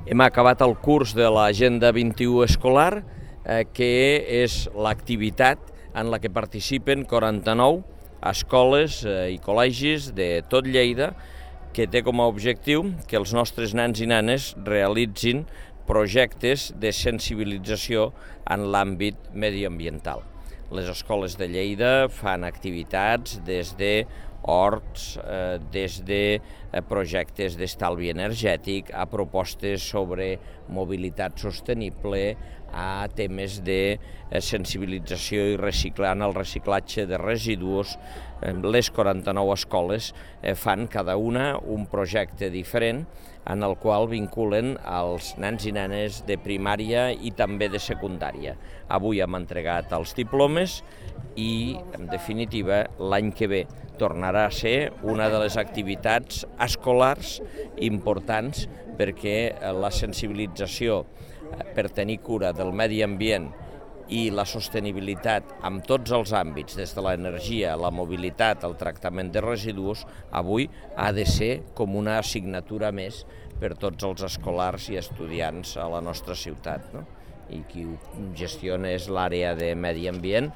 Hem acabat el curs de l'Agenda 21 escolar, que és l'activitat en la que participen 49 escoles i col·legis de tot Lleida, que té com a objectiu que els nostres nens i nenes realitzin projectes de sensibilització en l'àmbit mediambiental. Les escoles de Lleida fan activitats des de horts, des de projectes d'estalvi energètic, a propostes sobre mobilitat sostenible, a temes de sensibilització i reciclant el reciclatge de residus. Les 49 escoles fan cada una un projecte diferent en el qual vinculen els nens i nenes de primària i també de secundària. Avui hem entregat els diplomes i, en definitiva, l'any que ve tornarà a ser una de les activitats escolars importants perquè la sensibilització per tenir cura del medi ambient i la sostenibilitat amb tots els àmbits, des de l'energia, la mobilitat, el tractament de residus, avui ha de ser com una assignatura més per tots els escolars i estudiants a la nostra ciutat, no? I qui ho gestiona és l'àrea de medi ambient.